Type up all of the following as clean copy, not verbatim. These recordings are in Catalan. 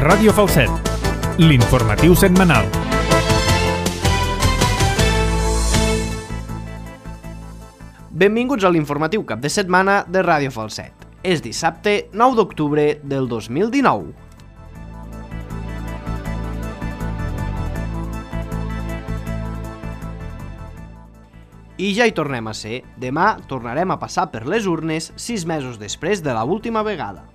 Ràdio Falset, l'informatiu setmanal. Benvinguts a l'informatiu cap de setmana de Ràdio Falset. És dissabte 9 d'octubre del 2019. I ja hi tornem a ser. Demà tornarem a passar per les urnes 6 mesos després de l'última vegada.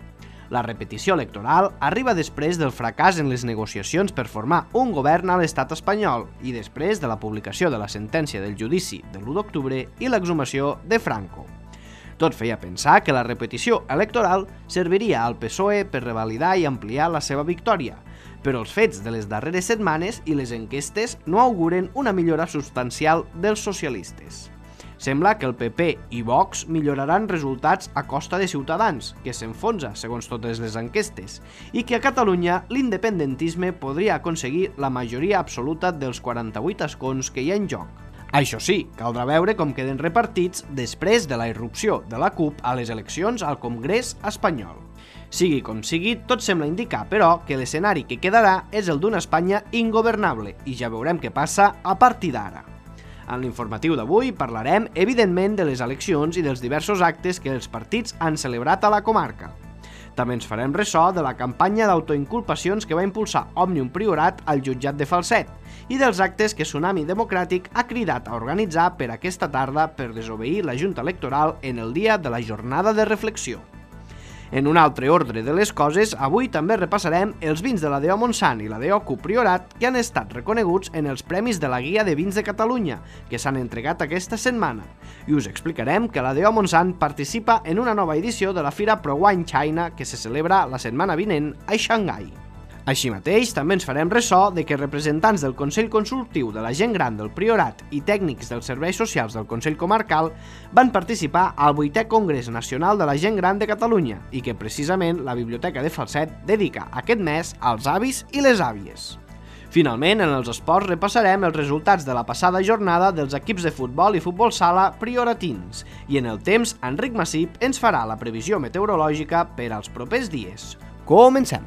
La repetició electoral arriba després del fracàs en les negociacions per formar un govern a l'estat espanyol i després de la publicació de la sentència del judici de l'1 d'octubre i l'exhumació de Franco. Tot feia pensar que la repetició electoral serviria al PSOE per revalidar i ampliar la seva victòria, però els fets de les darreres setmanes i les enquestes no auguren una millora substancial dels socialistes. Sembla que el PP i Vox milloraran resultats a costa de Ciutadans, que s'enfonsa segons totes les enquestes, i que a Catalunya l'independentisme podria aconseguir la majoria absoluta dels 48 escons que hi ha en joc. Això sí, caldrà veure com queden repartits després de la irrupció de la CUP a les eleccions al Congrés espanyol. Sigui com sigui, tot sembla indicar, però, que l'escenari que quedarà és el d'una Espanya ingovernable i ja veurem què passa a partir d'ara. En l'informatiu d'avui parlarem, evidentment, de les eleccions i dels diversos actes que els partits han celebrat a la comarca. També ens farem ressò de la campanya d'autoinculpacions que va impulsar Òmnium Priorat al jutjat de Falset i dels actes que Tsunami Democràtic ha cridat a organitzar per aquesta tarda per desobeir la Junta Electoral en el dia de la jornada de reflexió. En un altre ordre de les coses, avui també repassarem els vins de la DO Montsant i la DO CUP Priorat que han estat reconeguts en els Premis de la Guia de Vins de Catalunya, que s'han entregat aquesta setmana, i us explicarem que la DO Montsant participa en una nova edició de la Fira Pro Wine China que se celebra la setmana vinent a Xangai. Així mateix, també ens farem ressò de que representants del Consell Consultiu de la Gent Gran del Priorat i tècnics dels serveis socials del Consell Comarcal van participar al 8è Congrés Nacional de la Gent Gran de Catalunya i que precisament la Biblioteca de Falset dedica aquest mes als avis i les àvies. Finalment, en els esports repassarem els resultats de la passada jornada dels equips de futbol i futbol sala prioratins i en el temps, Enric Massip ens farà la previsió meteorològica per als propers dies. Comencem!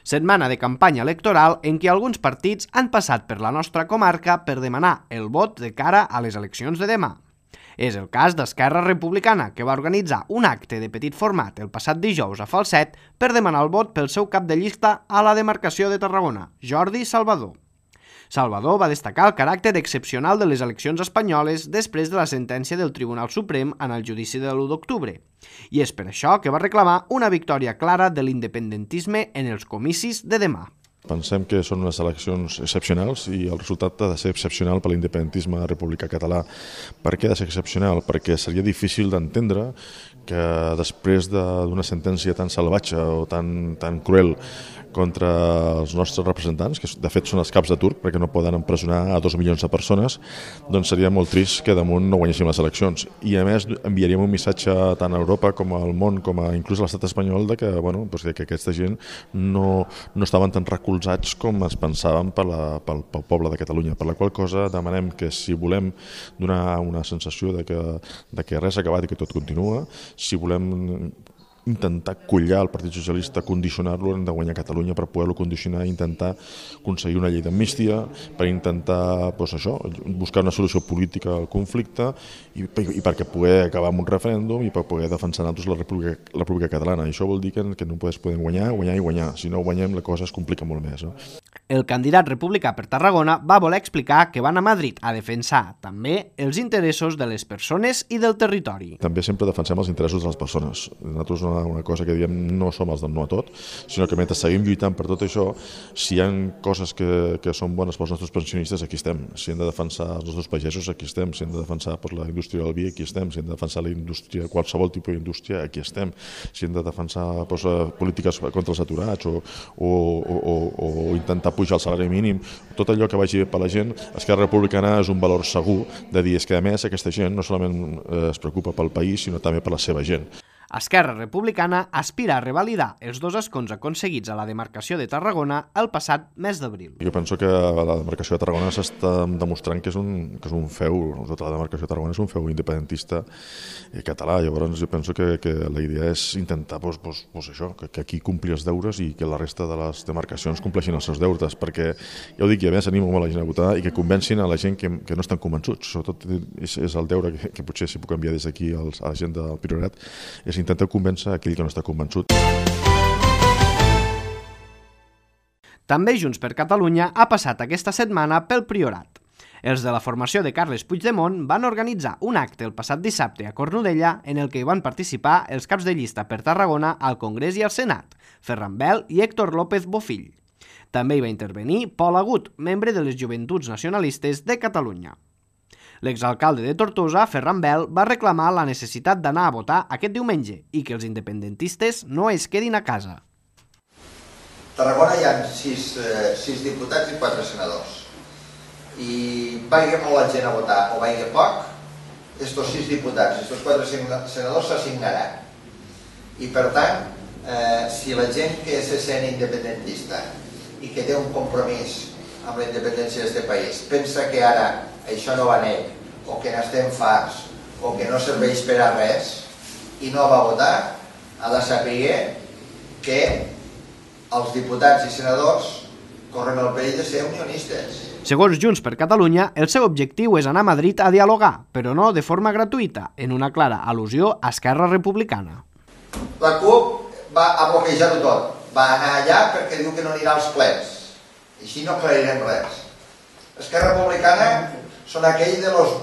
Setmana de campanya electoral en què alguns partits han passat per la nostra comarca per demanar el vot de cara a les eleccions de demà. És el cas d'Esquerra Republicana, que va organitzar un acte de petit format el passat dijous a Falset per demanar el vot pel seu cap de llista a la demarcació de Tarragona, Jordi Salvador. Salvador va destacar el caràcter excepcional de les eleccions espanyoles després de la sentència del Tribunal Suprem en el judici de l'1 d'octubre, i és per això que va reclamar una victòria clara de l'independentisme en els comicis de demà. Pensem que són unes eleccions excepcionals i el resultat ha de ser excepcional per l'independentisme republicà català. Per què ha de ser excepcional? Perquè seria difícil d'entendre que després d'una sentència tan salvatge o tan cruel contra els nostres representants, que de fet són els caps de turc perquè no poden empresonar a 2 milions de persones, doncs seria molt trist que damunt no guanyéssim les eleccions. I a més enviaríem un missatge tant a Europa com al món, com a inclús a l'estat espanyol, de que, que aquesta gent no estaven tan recolzats com es pensaven pel poble de Catalunya. Per la qual cosa demanem que si volem donar una sensació de que res ha acabat i que tot continua, si volem intentar collar el Partit Socialista, condicionar-lo, hem de guanyar Catalunya per poder-lo condicionar i intentar aconseguir una llei d'amnistia, per intentar buscar una solució política al conflicte i perquè poder acabar amb un referèndum i per poder defensar nosaltres la República Catalana. I això vol dir que no podem guanyar. Si no guanyem, la cosa es complica molt més. El candidat republicà per Tarragona va voler explicar que van a Madrid a defensar també els interessos de les persones i del territori. També sempre defensem els interessos de les persones. Nosaltres una cosa que diem no som els del no a tot, sinó que mentre seguim lluitant per tot això, si hi ha coses que són bones pels nostres pensionistes, aquí estem. Si hem de defensar els nostres pagesos, aquí estem. Si hem de defensar per la indústria del vi, aquí estem. Si hem de defensar la indústria, qualsevol tipus d'indústria, aquí estem. Si hem de defensar polítiques contra els aturats o intentar pujar el salari mínim, tot allò que vagi bé per la gent, Esquerra Republicana és un valor segur de dir que a més aquesta gent no solament es preocupa pel país, sinó també per la seva gent. Esquerra Republicana aspira a revalidar els 2 escons aconseguits a la demarcació de Tarragona el passat mes d'abril. Jo penso que la demarcació de Tarragona s'està demostrant que és un feu, tota la demarcació de Tarragona és un feu independentista català. Llavors jo penso que la idea és intentar això, que aquí complir els deures i que la resta de les demarcacions compleixin els seus deures, perquè ja ho dic, i a més animo molt a la gent a votar i que convencin a la gent que no estan convençuts. Sobretot és el deure que potser si puc enviar des d'aquí a la gent del Priorat, és intentar convèncer aquell que no està convençut. També Junts per Catalunya ha passat aquesta setmana pel Priorat. Els de la formació de Carles Puigdemont van organitzar un acte el passat dissabte a Cornudella en el que hi van participar els caps de llista per Tarragona al Congrés i al Senat, Ferran Bel i Héctor López Bofill. També hi va intervenir Pol Agut, membre de les Joventuts Nacionalistes de Catalunya. L'exalcalde de Tortosa, Ferran Bel, va reclamar la necessitat d'anar a votar aquest diumenge i que els independentistes no es quedin a casa. A Tarragona hi ha 6 diputats i 4 senadors. I vagi molt la gent a votar o vagi poc, estos 6 diputats i estos 4 senadors s'assignaran. I per tant, si la gent que se sent independentista i que té un compromís amb la independència d'aquest país pensa que ara això no va net, o que n'estem farts, o que no serveix per a res, i no va votar, ha de saber que els diputats i senadors corren el perill de ser unionistes. Segons Junts per Catalunya, el seu objectiu és anar a Madrid a dialogar, però no de forma gratuïta, en una clara al·lusió a Esquerra Republicana. La CUP va a bloquejar-ho tot. Va anar allà perquè diu que no anirà als plens. I així no aclarirem res. Esquerra Republicana son aquells de los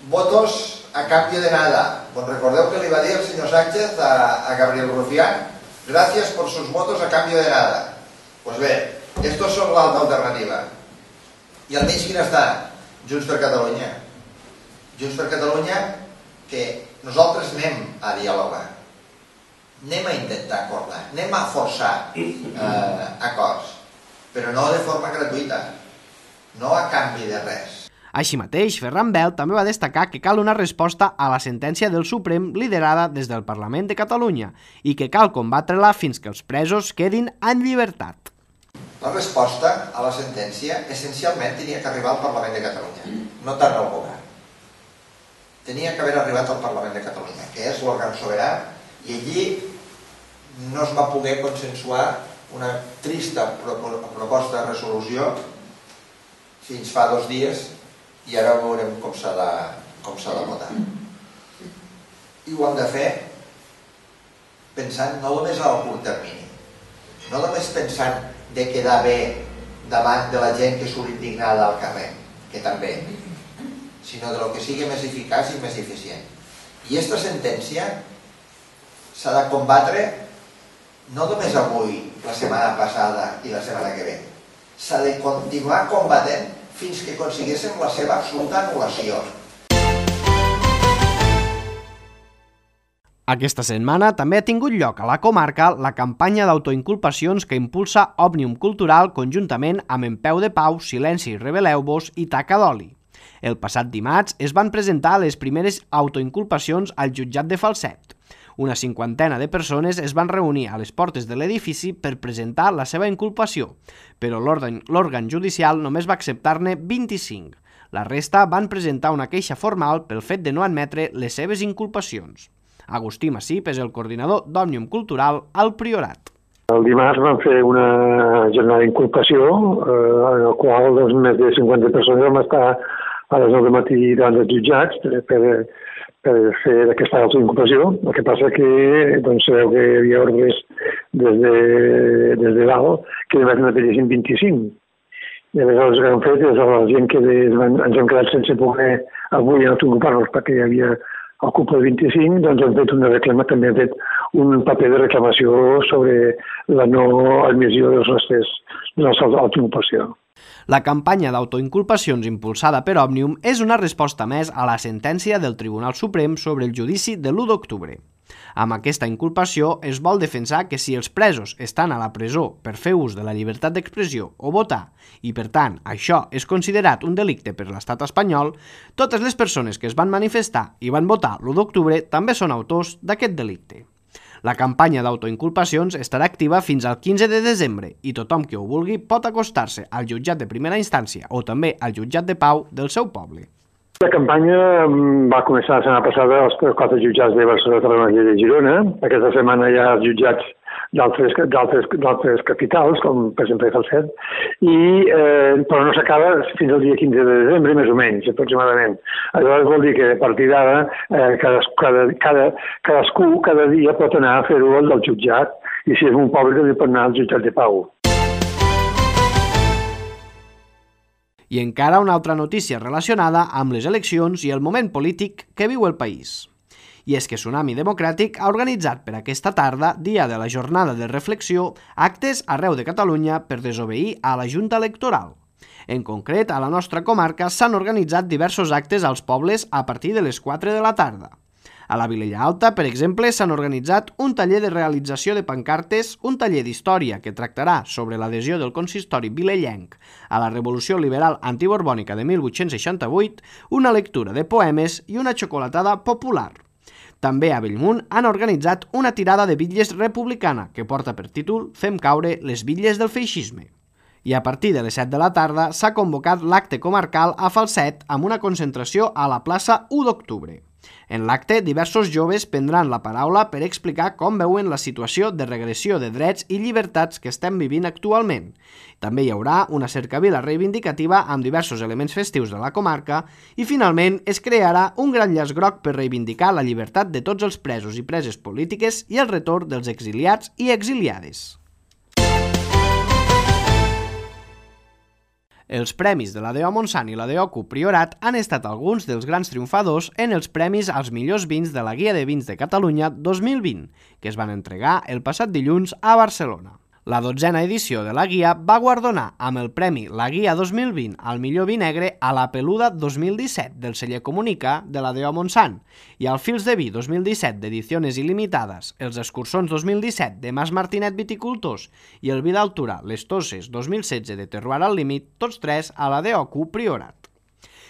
votos a cambio de nada. Pues recordeu que li va dir el senyor Sánchez a Gabriel Rufián, gracias por sus votos a cambio de nada. Pues bé, estos son l'altra alternativa. I al mig quin està? Junts per Catalunya. Junts per Catalunya que nosaltres anem a dialogar, anem a intentar acordar, anem a forçar acords, però no de forma gratuïta, no a canvi de res. Així mateix, Ferran Bel també va destacar que cal una resposta a la sentència del Suprem liderada des del Parlament de Catalunya i que cal combatre-la fins que els presos quedin en llibertat. La resposta a la sentència essencialment tenia que arribar al Parlament de Catalunya, no tant al govern. Tenia que haver arribat al Parlament de Catalunya, que és l'òrgan sobirà, i allí no es va poder consensuar una trista proposta de resolució fins fa 2 dies, i ara veurem com s'ha de votar. I ho hem de fer pensant no només a curt termini, no només pensant de quedar bé davant de la gent que surt indignada al carrer, que també, sinó de lo que sigui més eficaç i més eficient. I aquesta sentència s'ha de combatre no només avui, la setmana passada i la setmana que ve. S'ha de continuar combatent fins que aconseguíssim la seva absoluta anul·lació. Aquesta setmana també ha tingut lloc a la comarca la campanya d'autoinculpacions que impulsa Òmnium Cultural conjuntament amb En Peu de Pau, Silenci, Rebeleu-vos i Taca d'Oli. El passat dimarts es van presentar les primeres autoinculpacions al jutjat de Falset. Una 50ena de persones es van reunir a les portes de l'edifici per presentar la seva inculpació, però l'òrgan judicial només va acceptar-ne 25. La resta van presentar una queixa formal pel fet de no admetre les seves inculpacions. Agustí Massip és el coordinador d'Òmnium Cultural al Priorat. El dimarts vam fer una jornada d'inculpació en la qual més de 50 persones vam estar a les 9 del matí davant dels jutjats per fer aquesta autoinculpació. El que passa que sabeu que hi havia ordres des de dalt que només n'apellessin 25. I aleshores el que hem fet és a la gent que ens hem quedat sense poder avui autoinculpar-nos perquè hi havia el cupo de 25, doncs hem fet també hem fet un paper de reclamació sobre la no admissió dels nostres autoinculpació. La campanya d'autoinculpacions impulsada per Òmnium és una resposta més a la sentència del Tribunal Suprem sobre el judici de l'1 d'octubre. Amb aquesta inculpació es vol defensar que si els presos estan a la presó per fer ús de la llibertat d'expressió o votar i, per tant, això és considerat un delicte per l'estat espanyol, totes les persones que es van manifestar i van votar l'1 d'octubre també són autors d'aquest delicte. La campanya d'autoinculpacions estarà activa fins al 15 de desembre i tothom que ho vulgui pot acostar-se al jutjat de primera instància o també al jutjat de pau del seu poble. La campanya va començar la setmana passada als 4 jutjats de Barcelona, Tarragona i de Girona. Aquesta setmana hi ha els jutjats d'altres capitals, com per exemple Falset, però no s'acaba fins al dia 15 de desembre, més o menys, aproximadament. Aleshores vol dir que a partir d'ara cadascú cada dia pot anar a fer-ho al del jutjat i si és un poble pot anar al jutjat de pau. I encara una altra notícia relacionada amb les eleccions i el moment polític que viu el país. I és que Tsunami Democràtic ha organitzat per aquesta tarda, dia de la jornada de reflexió, actes arreu de Catalunya per desobeir a la Junta Electoral. En concret, a la nostra comarca s'han organitzat diversos actes als pobles a partir de les 4 de la tarda. A la Vilella Alta, per exemple, s'han organitzat un taller de realització de pancartes, un taller d'història que tractarà sobre l'adhesió del consistori vilellenc a la Revolució Liberal Antiborbònica de 1868, una lectura de poemes i una xocolatada popular. També a Bellmunt han organitzat una tirada de bitlles republicana que porta per títol «Fem caure les bitlles del feixisme». I a partir de les 7 de la tarda s'ha convocat l'acte comarcal a Falset amb una concentració a la plaça 1 d'octubre. En l'acte, diversos joves prendran la paraula per explicar com veuen la situació de regressió de drets i llibertats que estem vivint actualment. També hi haurà una cercavila reivindicativa amb diversos elements festius de la comarca i, finalment, es crearà un gran llaç groc per reivindicar la llibertat de tots els presos i preses polítiques i el retorn dels exiliats i exiliades. Els premis de la DO Montsant i la DO Priorat han estat alguns dels grans triomfadors en els premis als millors vins de la Guia de Vins de Catalunya 2020, que es van entregar el passat dilluns a Barcelona. La 12a edició de la guia va guardonar amb el premi La Guia 2020 al millor vi negre a la Peluda 2017 del celler Comunica de la DO Montsant i al Fils de Vi 2017 d'Ediciones Il·limitades, els Escursons 2017 de Mas Martinet Viticultors i el vi d'altura Les Tosses 2016 de Terroir al Límit, tots tres a la DO Priorat.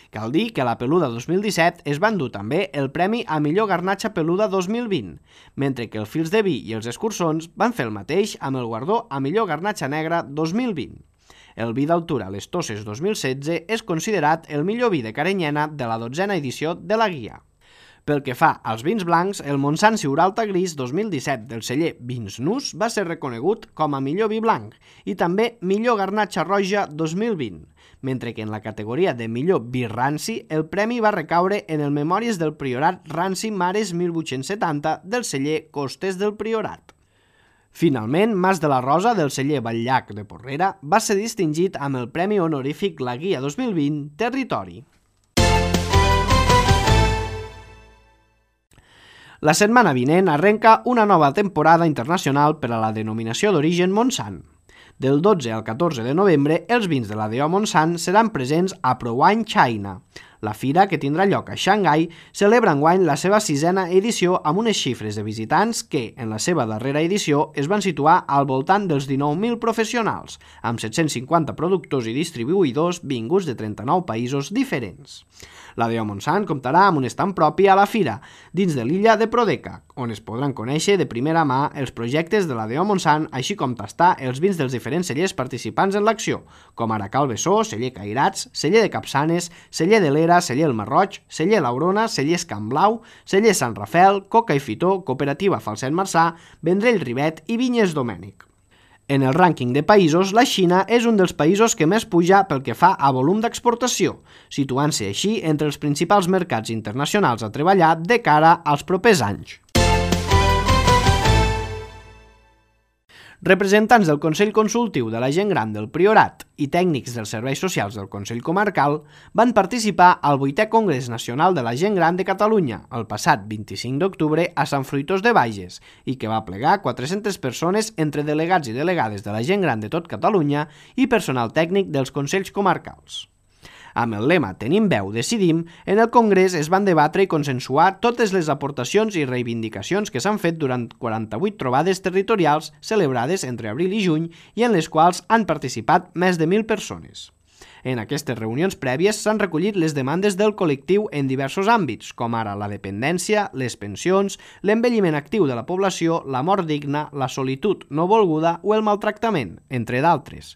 Cal dir que a la Peluda 2017 es va endur també el Premi a Millor Garnatxa Peluda 2020, mentre que el Fils de Vi i els Escursons van fer el mateix amb el guardó a Millor Garnatxa Negra 2020. El vi d'altura Les Tosses 2016 és considerat el millor vi de Carinyena de la 12a edició de la guia. Pel que fa als vins blancs, el Montsant Siuralta Gris 2017 del celler Vins Nus va ser reconegut com a millor vi blanc i també millor Garnatxa Roja 2020, mentre que en la categoria de millor vi ranci el premi va recaure en el Memòries del Priorat Ranci Mares 1870 del celler Costes del Priorat. Finalment, Mas de la Rosa del celler Batllac de Porrera va ser distingit amb el Premi Honorífic La Guia 2020 Territori. La setmana vinent arrenca una nova temporada internacional per a la denominació d'origen Montsant. Del 12 al 14 de novembre, els vins de la DO Montsant seran presents a ProWine China. La fira, que tindrà lloc a Xangai, celebra enguany la seva 6a edició amb unes xifres de visitants que, en la seva darrera edició, es van situar al voltant dels 19.000 professionals, amb 750 productors i distribuïdors vinguts de 39 països diferents. La DO Montsant comptarà amb un estand propi a la fira, dins de l'illa de Prodeca, on es podran conèixer de primera mà els projectes de la DO Montsant, així com tastar els vins dels diferents cellers participants en l'acció, com ara Cal Bessó, celler Cairats, celler de Capçanes, celler de l'Era, celler El Marroig, celler L'Aurona, cellers Can Blau, celler Sant Rafel, Coca i Fitó, Cooperativa Falset Marçà, Vendrell Rivet i Vinyes Domènec. En el rànquing de països, la Xina és un dels països que més puja pel que fa a volum d'exportació, situant-se així entre els principals mercats internacionals a treballar de cara als propers anys. Representants del Consell Consultiu de la Gent Gran del Priorat i tècnics dels serveis socials del Consell Comarcal van participar al 8è Congrés Nacional de la Gent Gran de Catalunya el passat 25 d'octubre a Sant Fruitós de Bages i que va plegar 400 persones entre delegats i delegades de la gent gran de tot Catalunya i personal tècnic dels Consells Comarcals. Amb el lema Tenim veu, decidim, en el Congrés es van debatre i consensuar totes les aportacions i reivindicacions que s'han fet durant 48 trobades territorials celebrades entre abril i juny i en les quals han participat més de 1.000 persones. En aquestes reunions prèvies s'han recollit les demandes del col·lectiu en diversos àmbits, com ara la dependència, les pensions, l'envelliment actiu de la població, la mort digna, la solitud no volguda o el maltractament, entre d'altres.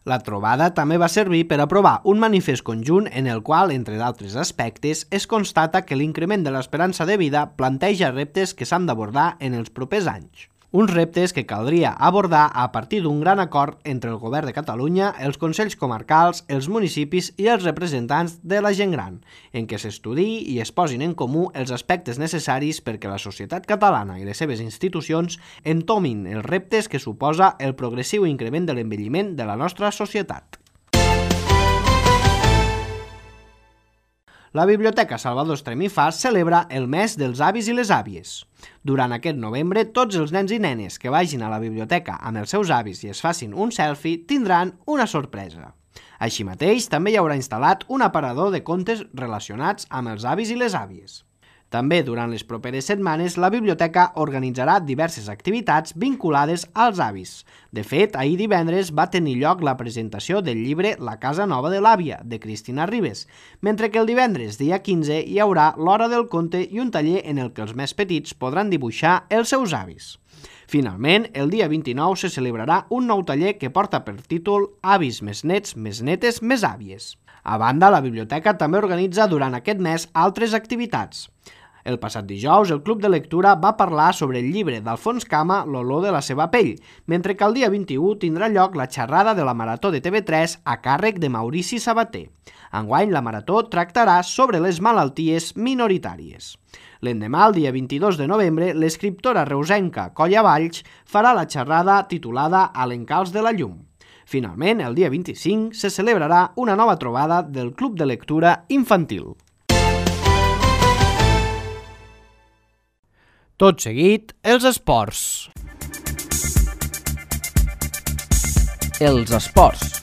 La trobada també va servir per aprovar un manifest conjunt en el qual, entre d'altres aspectes, es constata que l'increment de l'esperança de vida planteja reptes que s'han d'abordar en els propers anys. Uns reptes que caldria abordar a partir d'un gran acord entre el Govern de Catalunya, els Consells Comarcals, els municipis i els representants de la gent gran, en què s'estudiï i es posin en comú els aspectes necessaris perquè la societat catalana i les seves institucions entomin els reptes que suposa el progressiu increment de l'envelliment de la nostra societat. La Biblioteca Salvador Estremí Fas celebra el mes dels avis i les àvies. Durant aquest novembre, tots els nens i nenes que vagin a la biblioteca amb els seus avis i es facin un selfie tindran una sorpresa. Així mateix, també hi haurà instal·lat un aparador de contes relacionats amb els avis i les àvies. També, durant les properes setmanes, la biblioteca organitzarà diverses activitats vinculades als avis. De fet, ahir divendres va tenir lloc la presentació del llibre La casa nova de l'àvia, de Cristina Ribes, mentre que el divendres, dia 15, hi haurà l'hora del conte i un taller en el que els més petits podran dibuixar els seus avis. Finalment, el dia 29 se celebrarà un nou taller que porta per títol Avis més nets, més netes, més àvies. A banda, la biblioteca també organitza durant aquest mes altres activitats. El passat dijous, el Club de Lectura va parlar sobre el llibre d'Alfons Cama, L'olor de la seva pell, mentre que el dia 21 tindrà lloc la xerrada de la Marató de TV3 a càrrec de Maurici Sabater. Enguany, la Marató tractarà sobre les malalties minoritàries. L'endemà, el dia 22 de novembre, l'escriptora reusenca Colla Valls farà la xerrada titulada A l'encalç de la llum. Finalment, el dia 25, se celebrarà una nova trobada del Club de Lectura Infantil. Tot seguit, els esports. Els esports.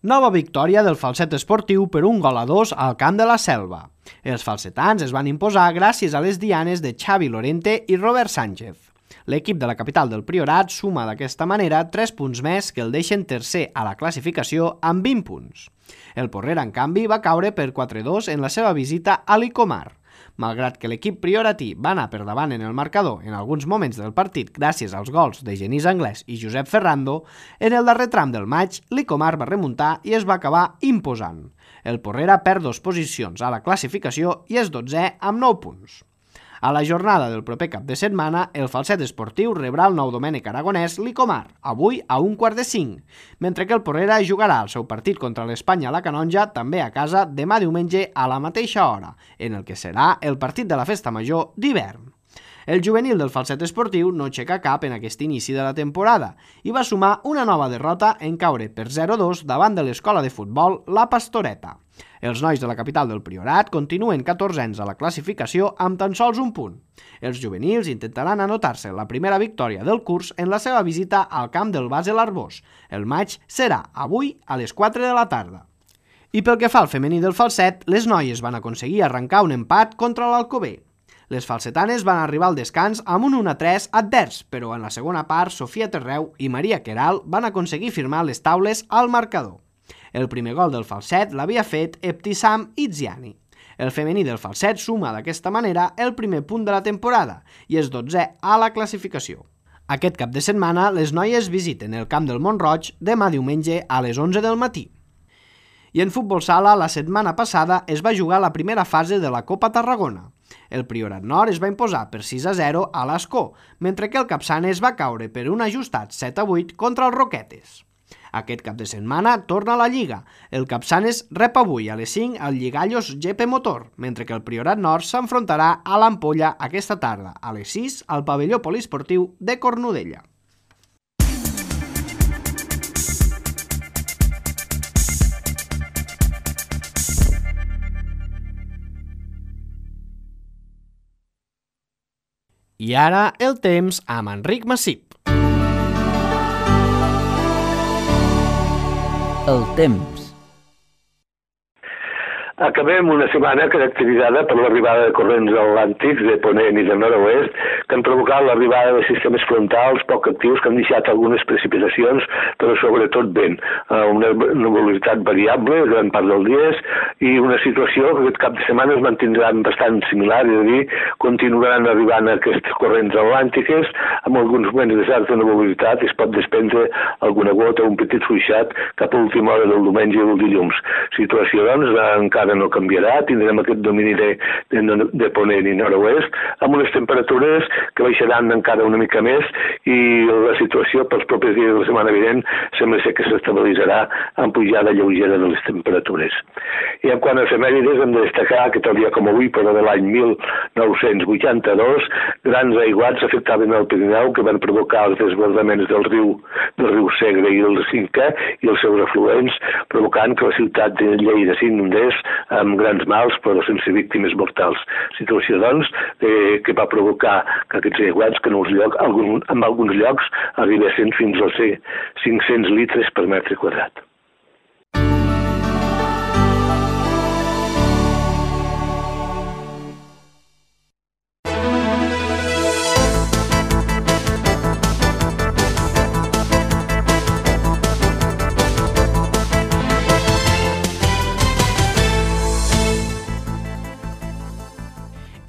Nova victòria del Falset Esportiu per 1-2 al Camp de la Selva. Els falsetans es van imposar gràcies a les dianes de Xavi Lorente i Robert Sánchez. L'equip de la capital del Priorat suma d'aquesta manera 3 punts més que el deixen tercer a la classificació amb 20 punts. El Porrera, en canvi, va caure per 4-2 en la seva visita a l'Icomar. Malgrat que l'equip prioratí va anar per davant en el marcador en alguns moments del partit gràcies als gols de Genís Anglès i Josep Ferrando, en el darrer tram del maig, l'Icomar va remuntar i es va acabar imposant. El Porrera perd 2 posicions a la classificació i és 12è amb 9 punts. A la jornada del proper cap de setmana, el Falset Esportiu rebrà el Nou Domènec Aragonès l'Icomar, avui a 4:45, mentre que el Porrera jugarà el seu partit contra l'Espanya a la Canonja també a casa demà diumenge a la mateixa hora, en el que serà el partit de la Festa Major d'hivern. El juvenil del Falset Esportiu no aixeca cap en aquest inici de la temporada i va sumar una nova derrota en caure per 0-2 davant de l'escola de futbol La Pastoreta. Els nois de la capital del Priorat continuen 14ens a la classificació amb tan sols un punt. Els juvenils intentaran anotar-se la primera victòria del curs en la seva visita al camp del Base l'Arbós. El maig serà avui a les 4 de la tarda. I pel que fa al femení del Falset, les noies van aconseguir arrencar un empat contra l'Alcover. Les falsetanes van arribar al descans amb un 1-3 advers, però en la segona part Sofia Terreu i Maria Queral van aconseguir firmar les taules al marcador. El primer gol del Falset l'havia fet Ebtissam Itziani. El femení del Falset suma d'aquesta manera el primer punt de la temporada i és 12è a la classificació. Aquest cap de setmana les noies visiten el camp del Mont-roig demà diumenge a les 11 del matí. I en futbol sala, la setmana passada es va jugar la primera fase de la Copa Tarragona. El Priorat Nord es va imposar per 6-0 a l'Ascó, mentre que el Capçanes va caure per un ajustat 7-8 contra els Roquetes. Aquest cap de setmana torna a la Lliga. El Capçanes rep avui a les 5 al Lligallos GP Motor, mentre que el Priorat Nord s'enfrontarà a l'Ampolla aquesta tarda, a les 6 al pavelló poliesportiu de Cornudella. I ara el temps amb Enric Massip. El temps. Acabem una setmana caracteritzada per l'arribada de corrents atlàntics de ponent i de nord-oest que han provocat l'arribada de sistemes frontals poc actius que han deixat algunes precipitacions, però sobretot vent, una nuvolositat variable gran part dels dies i una situació que aquest cap de setmana es mantindran bastant similar, és a dir, continuaran arribant aquests corrents atlàntiques amb alguns moments de certa nuvolositat i es pot desprendre alguna gota o un petit fluixat cap a l'última hora del diumenge i del dilluns. Situació, doncs, encara no canviarà, tindrem aquest domini de ponent i nord-oest, amb unes temperatures que baixaran encara una mica més i la situació pels propers dies de la setmana vinent sembla ser que s'estabilitzarà amb pujada lleugera de les temperatures. I en quant a efemèrides hem de destacar que tal dia com avui, però de l'any 1982, grans aiguats afectaven el Pirineu que van provocar els desbordaments del riu Segre i el Cinca i els seus afluents, provocant que la ciutat de Lleida s'inundés amb grans mals però sense víctimes mortals. Situació, doncs, que va provocar que aquests aiguats que en alguns llocs arribessin fins als 500 litres per metre quadrat.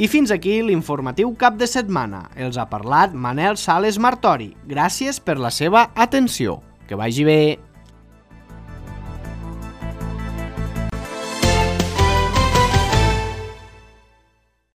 I fins aquí l'informatiu cap de setmana. Els ha parlat Manel Sales Martori. Gràcies per la seva atenció. Que vagi bé.